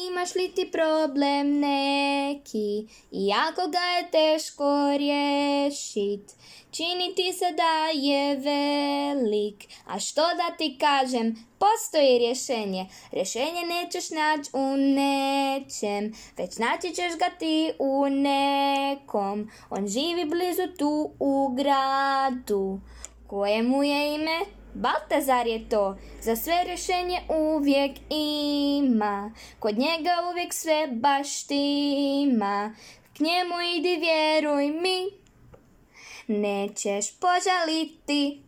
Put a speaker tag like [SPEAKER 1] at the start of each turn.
[SPEAKER 1] Imaš li ti problem neki, iako ga je teško riješit, čini ti se da je velik, a što da ti kažem, postoji rješenje. Rješenje nećeš naći u nečem, već naći ćeš ga ti u nekom. On živi blizu tu u gradu, kojemu je ime Baltazar je to. Za sve rješenje uvijek ima, kod njega uvijek sve baš štima. K njemu idi, vjeruj mi, nećeš požaliti.